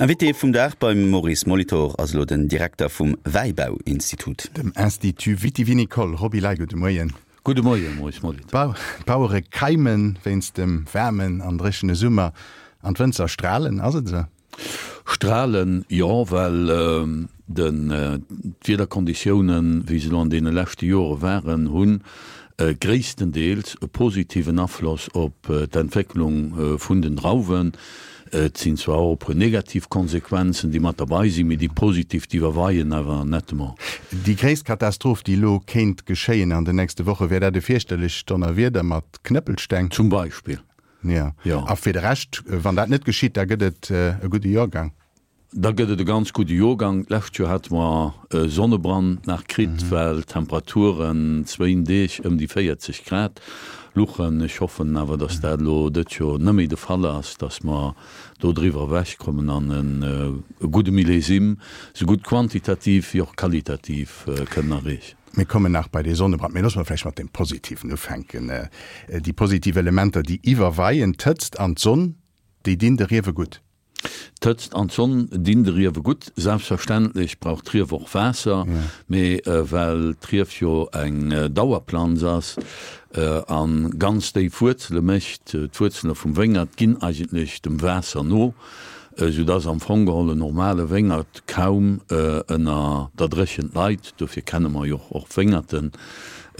Invité vum Dag beim Maurice Molitor ass elo den Direkter vum Wäibauinstitut. Dem Institut Viti-Vinicole. Roby Ley, gudde Moien. Gudde Moien, Maurice Molitor. D'Bauere keimen wéinst dem waarmen an dréchene Summer an d'Wënzer stralen, ass et esou? Stralen, jo, well d'Wiederkonditiounen, wéi se elo an deene leschte Jore waren, hunn gréisstendeels e positiven Afloss op d'Entwécklung vun den Drauwen. Et sinn zwar och e puer negativ Konsequenzen, déi mat derbei sinn, mee déi positiv, déi iwwerweien awer nettement. Déi gréisst Katastroph, déi elo kéint geschéien an den nächste Woche, wär dat e fierchterlecht Donnerwieder mat Knëppelsteng? Zum Beispill. Jo. A fir de Rescht, wann dat net geschitt, da gëtt et e gudde Jorgang? Da gëtt et e ganz gudde Jorgang. D'lescht Joer hate mer e Sonnebrand nach kritt, well d'Temperaturen zwéin Deeg ëm déi 40 Grad luchen. Ech hoffen awer, datt dat elo dëtt Joer net méi de Fall ass, datt mer do driwwer ewechkommen an e gudde Millésime, esou gutt quantitativ wéi och qualitativ, kënnen erreechen. Mir kommen nach bei dee Sonnebrand, mee loosse mer vläicht mat deem Positiven ufänken. Déi positiv Elementer, déi iwwerweien, d'Hëtzt an d'Sonn, déi dinn de Riewe gutt. D'Hëtzt an d'Sonn dinn de Riewe gutt. Selbstverständlech brauch d'Rief och Waasser, mee well d'Rief jo eng Dauerplanz ass a ganz déif Wuerzele mécht, d'Wuerzele vum Wéngert ginn eigentlech dem Waasser no, esou dass am Fong geholl en normale Wéngert kaum ënner der Dréchent leit. Dofir kenne mer jo och Wéngerten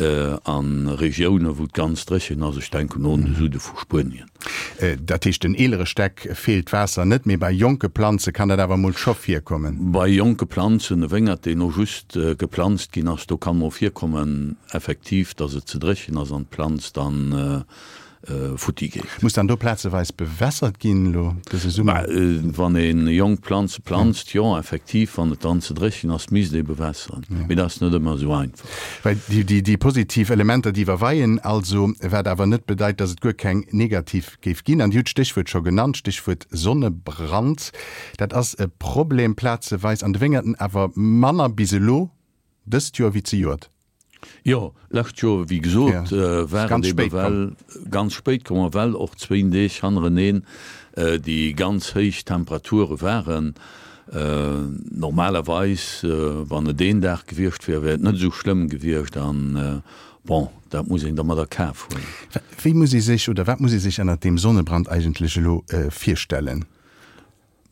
a Regiounen, wou et ganz dréchen ass, ech denken un de Süde vu Spuenien. Dat heescht, den eelere Stäck feelt d'Waasser net, mee bei jonke Planze kann dat awer mol scho virkommen? Bei jonke Planzen, e Wéngert, deen elo just geplanzt ginn ass, do kann mol virkommen effektiv, dass et ze dréchen ass an d'Planz dann futti geet. Muss dann do plazeweis bewässert ginn elo dëse Summer? Wann ee jonk Planze planzt, jo, effektiv, wann et dann ze dréchen ass, misst ee bewässeren. Mee dat ass net ëmmer esou einfach. Well déi positiv Elementer, déi iwwerweien also, wat awer net bedeit, datt et guer keng negativ géif ginn. An Dir hutt d'Stéchwuert scho genannt, Stéchwuert Sonnebrand. Dat ass e Problem plazeweis an de Wéngerten, awer manner bis elo dëst Joer wéi zejoert. Jo, lescht Joer, wéi gesot, war et ebe well ganz spéit komm a well och zwéin Deeg hannereneen déi ganz héich Temperature waren. Normalerweis, wann et een Dag gewiescht wier, wär et net esou schlëmm gewiescht an, bon, dat muss een da mat a Kaf huelen. Wéi muss ee sech oder wat muss ee sech ënnert deem Sonnebrand eigentlech elo virstellen?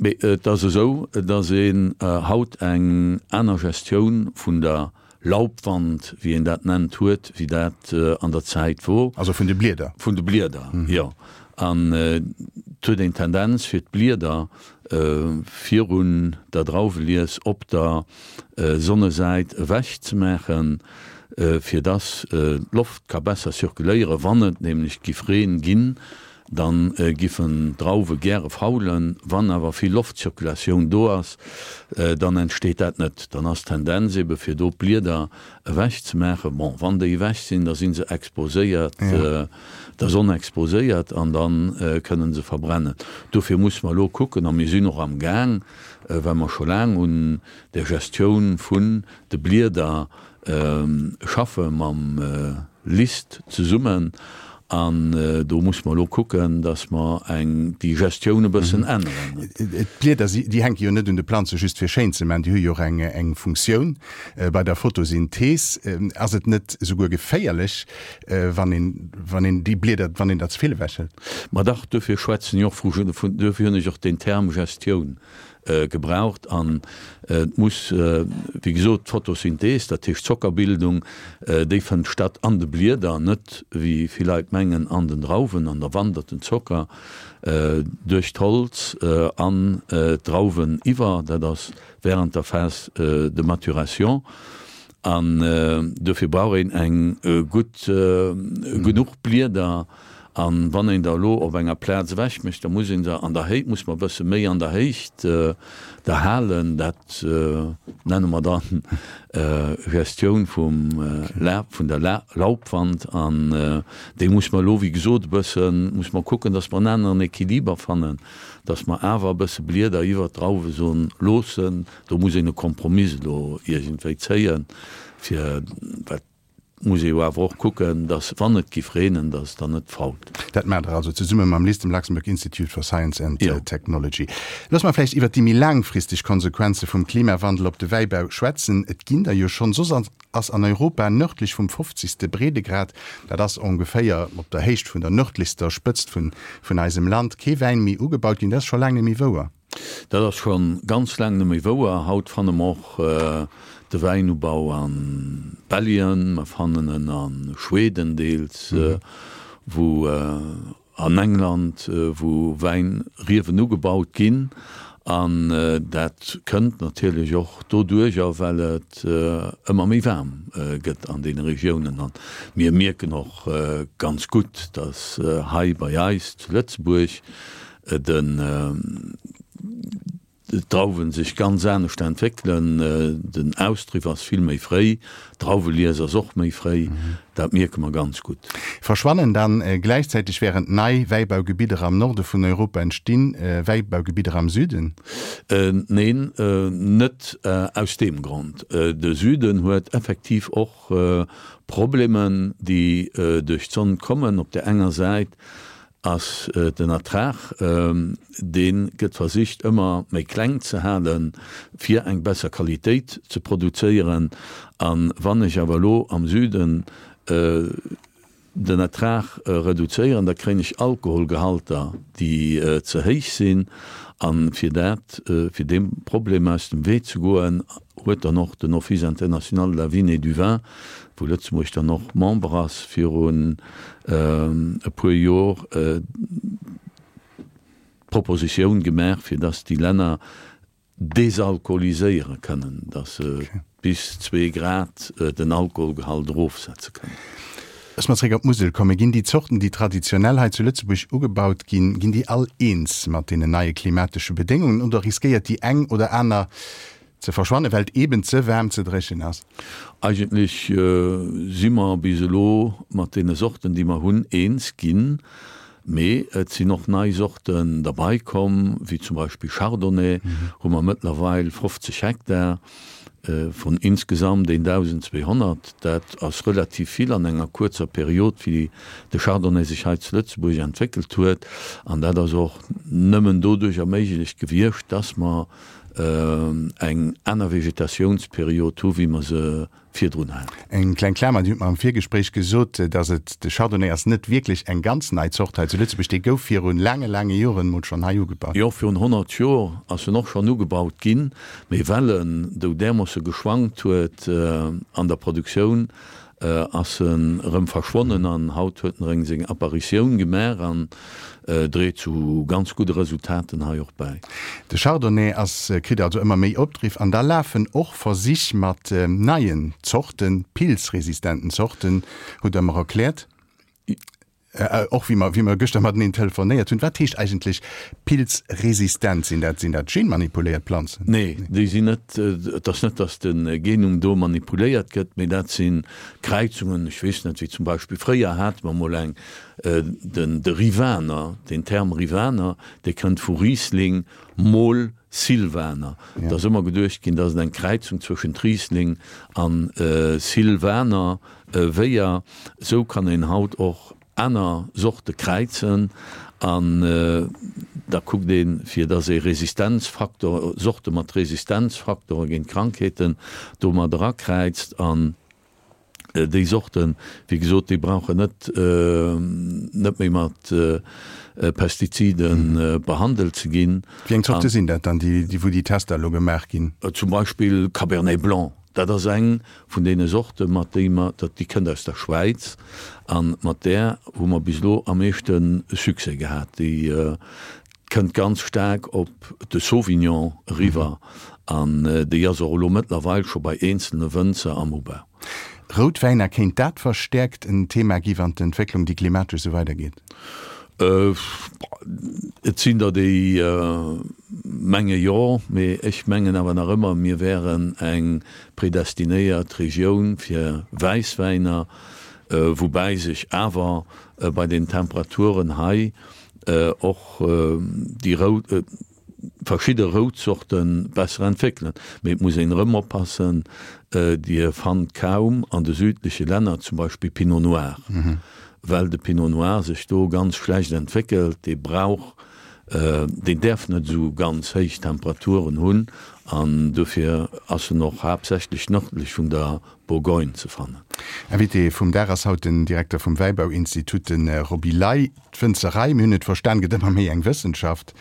Mee et ass esou, datt een haut eng aner Gestioun vun der Laubwand, wéi een dat nennt, huet, wéi dat an der Zäit wor. Also vun de Blieder? Vun de Blieder, jo. An et huet een d'Tendenz, fir d'Blieder virun der Drauwelies op der Sonnesäit ewech ze maachen, fir datt d'Loft ka besser zirkuléieren, wann et nämlech giff Reen ginn, Dann giffen d'Drauwe gäre faulen. Wann awer vill Loftzirkulatioun do ass, dann entsteet dat net. Dann ass d'Tendenz ebe fir do d'Blieder ewech ze maachen. Bon, wann déi ewech sinn, da si se exposéiert, der Sonn exposéiert an da kënne se verbrennen. Dofir musse mer elo kucken, a mir sinn och am Gaang, well mer scho laang un der Gestioun vun de Blieder schaffe mam LIST zesummen an do musse mer elo kucken, datt mer eng déi Gestioun e bëssen änneren. D'Blieder, déi hänke jo net un de Planze just fir schéin ze maachen, déi hu jo och eng eng Funktioun bei der Photosynthees. Ass et net esouguer geféierlech, wann een wann een déi Blieder, wann een der ze vill ewechhëlt? Ma dach, duerfir schwätzen ech och vu, duerfir hunn ech och deen Term Gestioun gebraucht an et muss, wéi gesot, d'Photosynthees, dat heescht d'Zockerbildung, déi fënnt statt an de Blieder, net wéi vill Leit mengen an den Drauwen, an da wandert den Zocker duerch d'Holz an d'Drauwen iwwer, dat ass während der Phase de maturation an dofir brauch een eng gutt, genuch Blieder. An wann een der elo op enger Plaz ewech mécht, da muss een se an der Héicht, muss mer e bësse méi an der Héicht der halen. Dat nenne mer dann Gestioun vum La, vun der La, Laubwand. An déi muss mer elo, wéi gesot, e bëssen, muss mer kucken, dass mer en aneren Equiliber fannen, dass mer awer e bësse Blieder iwwert d'Drauwesonn loossen. Do muss een e Kompromiss elo iergendwéi zéien, fir, well. Muss ee jo awer och kucken, dass, wann et giff reenen, dass et dann net fault. Dat maacht Der also zesumme mam LIST, dem Luxembourg Institute for Science and Technology. Looss mer vläicht iwwert déi méi laangfristeg Konsequenze vum Klimawandel op de Wäibau schwätzen. Et ginn der jo schonn. Soss ass an Europa nërdlech vum fofzegste Breedegrad, dat ass ongeféier op der Héicht vun der nërdlechster Spëtzt vun eisem Land, kee Wäin méi ugebaut ginn. Dat ass scho laang net méi wouer. Dat ass scho ganz laang net méi wouer. Haut fanne mer och de Wäinubau a Belgien, mer fannen en a Schweden deels, wou an England, wou Wäinriewen ugebaut ginn. An dat kënnt natierlech och doduercher, well et ëmmer méi waarm gëtt an deene Regiounen. An mir mierken och ganz gutt, datt hei bei eis zu Lëtzebuerg den d'Drauwen sech ganz anescht entwéckelen, den Austriff ass vill méi fréi, d'Drauwelies ass och méi fréi, dat mierke mer ganz gutt. Verschwannen dann gläichzäiteg während nei Wäibaugebidder am Norde vun Europa entstinn, Wäibaugebidder am Süden? Neen, net aus deem Grond. De Süden huet effektiv och Problemen, déi duerch d'Sonn kommen. Op där enger Säit ass den Ertrag, dee gëtt versicht ëmmer méi kleng ze halen, fir eng besser Qualitéit ze produzéieren. A wann ech awer elo am Süden den Ertrag reduzéieren, da kréien ech Alkoholgehalter, déi ze héich sinn. A fir dat, fir deem Problem aus dem Wee ze goen, huet dann och den Office international de la vigne et du vin, wou Lëtzebuerg dann och Member ass, virun e puer Jor d'Propositioun gemaach, fir dass déi Länner desalkoholiséiere kënnen, dass se bis zwee Grad den Alkoholgehalt erofsetze kënnen. Looss mer zréck op d'Musel kommen. Ginn déi Zorten, déi traditionell hei zu Lëtzebuerg ugebaut ginn, ginn déi all eens mat deenen neie klimatesche Bedéngungen oder riskéiert déi eng oder aner Ze verschwannen, well et eben ze waarm, ze dréchen ass. Eigentlech si mer bis elo mat deene Sorten, déi mer hunn, eens ginn. Mee et sinn och nei Sorten derbei komm, wéi zum Beispill Chardonnay hu mer mëttlerweil 50 Hektar vun insgesamt 1.200. Dat ass relativ vill an enger kuerzer Period, wéi de Chardonnay sech hei zu Lëtzebuerg entwéckelt huet. An dat ass och nëmmen doduerch erméiglecht gewiescht, dass mer eng aner Vegetatiounsperiod hu wéi mer se virdrun haten. Eng kleng Klamer, Dir hutt mer am Virgespréich gesot, datt et, de Chardonnay ass net wierklech eng ganz nei Zort hei zu Lëtzebuerg, dee gouf virun laange, laange Joren emol schonn hei ugebaut. Jo, virun 100 Joer ass en och schonn ugebaut ginn, mee well en dou därmoosse geschwankt huet an der Produktioun, ass en erëm verschwonnen an haut huet en ereng seng Apparitioun gemaach an dréit zu ganz gudde Resultaten hei och bäi. De Chardonnay ass kritt also ëmmer méi Opdriff an da lafen och Versich mat neien Zorten, pilzresistenten Zorten, hutt Der mer erkläert. Och wéi mer, wéi mer gëschter mateneen telefonéiert hunn. Wat heescht eigentlech pilzresistent? Sinn dat, sinn dat genmanipuléiert Planzen? Nee, déi sinn net, et ass net, datt de Genom do manipuléiert gëtt, mee dat si Kräizungen, ech weess net, wéi zum Beispill fréier hate mer mol eng, den, de Rivaner, den Term Rivaner, dee kënnt vu Riesling mol Silvaner. Et ass ëmmer geduecht ginn, datt et eng Kräizung zwëschent Riesling an Silvaner wéier. Esou kann een haut och aner Sorte kräizen an da kuckt een, fir dass ee Resistenzfaktor, Sorte mat Resistenzfaktore géint Krankheeten do mat erakräizt. An déi Sorten, wéi gesot, déi brauchen net net méi mat Pestizide behandelt ze ginn. Wéi eng Zorte sinn dat dann, déi wou déi Tester elo gemaach ginn? Zum Beispill Cabernet Blanc. Dat ass eng vun deene Sorte mat déi mer, dat déi kënnt aus der Schwäiz a mat där hu mer bis elo am meeschte Succès gehat. Déi kënnt ganz staark op de Sauvignon eriwwer an déi ass och elo mëttlerweil scho bei eenzelne Wënzer am Ubau. Routwäiner, kéint dat verstäerkt en Thema gi wann d'Entwécklung, déi klimatesch, esou weidergeet? Et sinn der, déi menge jo, mee ech mengen awer nach ëmmer, mir wären eng predestinéiert Regioun fir Wäisswäiner, woubäi sech awer bei den Temperaturen hei och déi rout. verschidde Routzorte besser entwéckelen. Mee et muss een erëm oppassen, Dir fannt kaum an de südleche Länner zum Beispill Pinot Noir, well de Pinot Noir sech do ganz schlecht entwéckelt. Dee brauch, deen däerf net esou ganz héich Temperaturen hunn an dofir ass en och haaptsächlech nërdlech vun der Bourgogne ze fannen. Invité vum Dag ass haut den Direkter vum Wäibauinstitut, de Roby Ley. D'Wënzerei, mir hunn et verstan, gëtt ëmmer méi eng Wëssenschaft.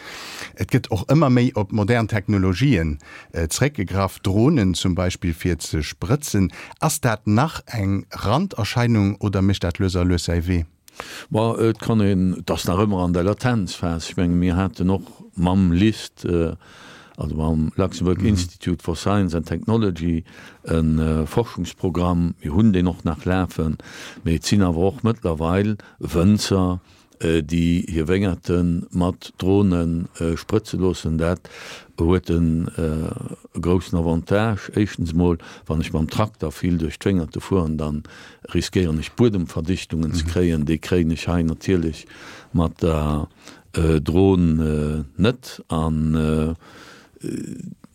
Et gëtt och ëmmer méi op modern Technologien zréckgegraff, Dronen zum Beispill fir ze sprëtzen. Ass dat nach eng Randerscheinung oder mécht dat lues a lues säi Wee? Bon, et kann een, et ass nach ëmmer an der Latenzphas. Ech menge mir haten och mam LIST, also mam Luxembourg Institute for Science and Technology, e Forschungsprogramm. Mir hunn deen och nach lafen, mee et sinn awer och mëttlerweil Wënzer, déi hir Wéngerte mat Drone sprëtze loossen. Dat huet e groussen Avantage. Éischtens emol, wann ech mam Trakter vill duerch d'Wéngerte fueren, da riskéieren ech Buedemverdichtungen ze kréien. Déi kréien ech hei natierlech mat der Dron net. An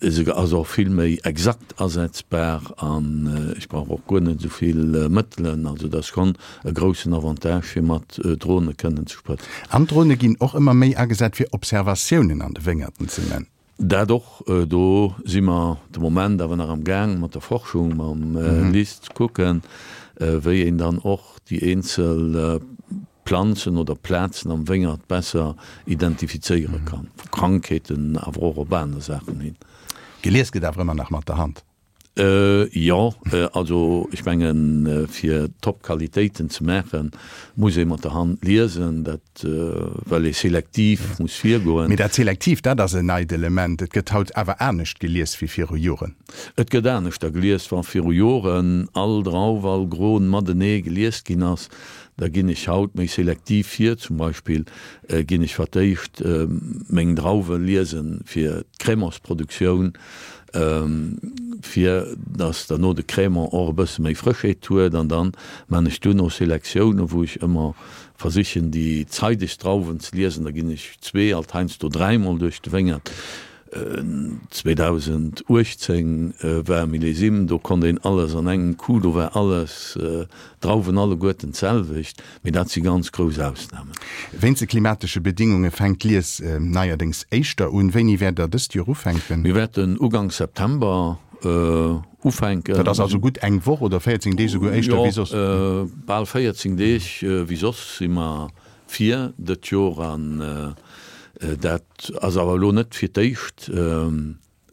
Se ass och vill méi exakt asetzbar an ech brauch och guer net esou vill Mëttelen. Also dat ass schonn e groussen Avantage fir mat Drone kënnen ze sprëtzen. An d'Drone ginn och ëmmer méi agesat fir Observatiounen an de Wéngerten ze man. Dat och. Do si mer de Moment awer nach am Gaang mat der Forschung, mam LIST ze kucken, wéi een dann och déi eenzel Planzen oder Plazen am Wéngert besser identifizéiere kann, vu Krankheeten, awer och op aner Saachen hin. Gelies gëtt awer ëmmer nach mat der Hand? Jo, also ech mengen, fir top Qualitéiten ze maachen, muss ee mat der Hand liesen, dat well ee selektiv muss virgoen. Mee dat selektiv, dat ass en neit Element. Et gëtt haut awer anescht gelies wéi viru Joren. Et gëtt aneschter gelies, wa viru Joren all Drauf, all Gron matenee gelies ginn ass, Da ginn ech haut méi selektiv vir. Zum Beispill ginn ech fir d'éischt meng Drauwe liesen fir d'Crémantsproduktioun, fir dass derno de Crémant och e bësse méi Frëschheet huet. An dann man ech duerno Selektioune wou ech ëmmer versichen déi zeidegst Drauwen ze liesen. Da ginn ech zwee, alt heiansdo dräimol duerch de Wéngert. 2018 war Millésime, do konnt een alles an engem Coup, do war alles, d'Drauwen alleguerten d'selwecht, mee dat si ganz grouss Ausnamen. Wéinst de klimatesche Bedingunge fänkt d'Lies neierdéngs éischter un. Wéini wäert der dëst Joer ufänken? Mir wäerten Uganks September ufänken. Dat ass also gutt eng Woch oder 14 Deeg esouguer éischter wéi soss? Jo, bal 14 Deeg wéi soss si mer vir dët Joer an dat ass awer elo net fir d'éischt.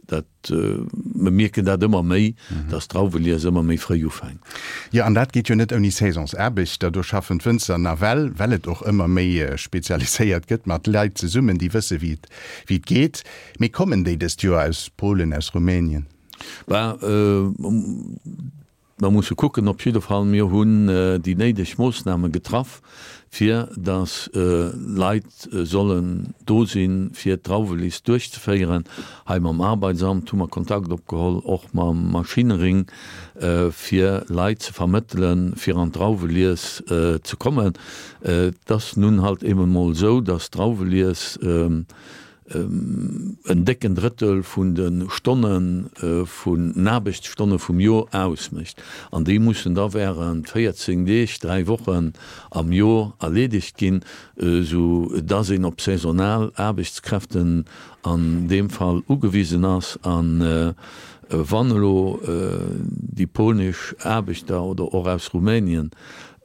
Dat, mer mierken dat ëmmer méi, dass d'Drauwelies ëmmer méi fréi ufänkt. Jo, an dat geet jo net ouni Saisonsaarbechter. Do schaffen d'Wënzer nawell, well et och ëmmer méi spezialiséiert gëtt, mat Leit zesummen, déi wësse wéi et wéi et geet. Mee kommen déi dëst Joer aus Polen, aus Rumänien? Bah, Mer musse kucken. Op jidde Fall, mir hunn déi néideg Moossname getraff, fir datt Leit sollen do sinn, fir d'Drauwelies duerchzeféieren. Hei mam Arbeitsamt hu mer Kontakt opgeholl, och mam Maschinering, fir Leit ze vermëttelen, fir an d'Drauwelies ze kommen. Et ass nun halt eben emol esou, datt d'Drauwelies, en décken Drëttel vun de Stonne vun den Aarbechtsstonne vum Jor ausmécht. An déi mussen da während 14 Deeg, dräi Wochen am Jor erleedegt ginn, sou dass een op saisonal Aarbechtskräften an deem Fall ugewisen ass. A wann elo déi polnesch Aarbechter oder och aus Rumänien,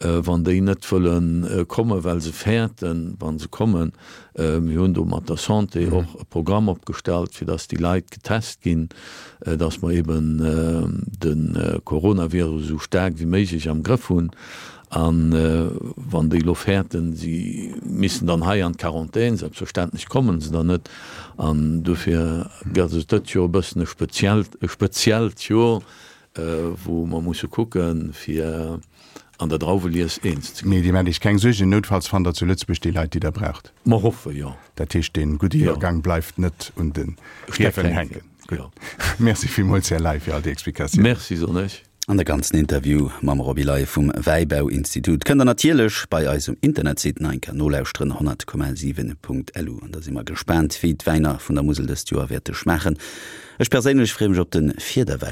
wann déi net wëlle kommen, well se fäerten, wa se kommen, Mir hunn do mat der Santé och e Programm opgestallt, fir dass déi Leit getest ginn, dass mer eben de Coronavirus esou staark wéi méiglech am Grëff hunn. A wann déi elo fäerten, si missen dann hei an d'Quarantän, selbstverständlech kommen se dann net. An dofir gëtt et dëtt Joer e bëssen e speziellt, e speziellt Joer, wou mer musse kucken, fir an der Drauwelies eens ze ginn. Mee Dir maacht Iech keng Suergen, noutfalls fannt Der zu Lëtzebuerg déi Leit, déi Der braucht. Mer hoffe jo. Dat heescht, dee gudde Joergang bleift net un de Riewen hänken. Gutt. Merci villmools, Här Ley, fir all déi Explikatiounen. Merci, soen ech. An de ganzen Interview mam Roby Ley vum Wäibauinstitut kënnt der natierlech bei eis um Internetsite nach eng Kéier nolauschteren, 100,7.lu. An da si mer gespaant, wéi d'Wäiner vun der Musel dëst Joer wäerte schmaachen. Ech perséinlech freeë mech op de Fiederwäin.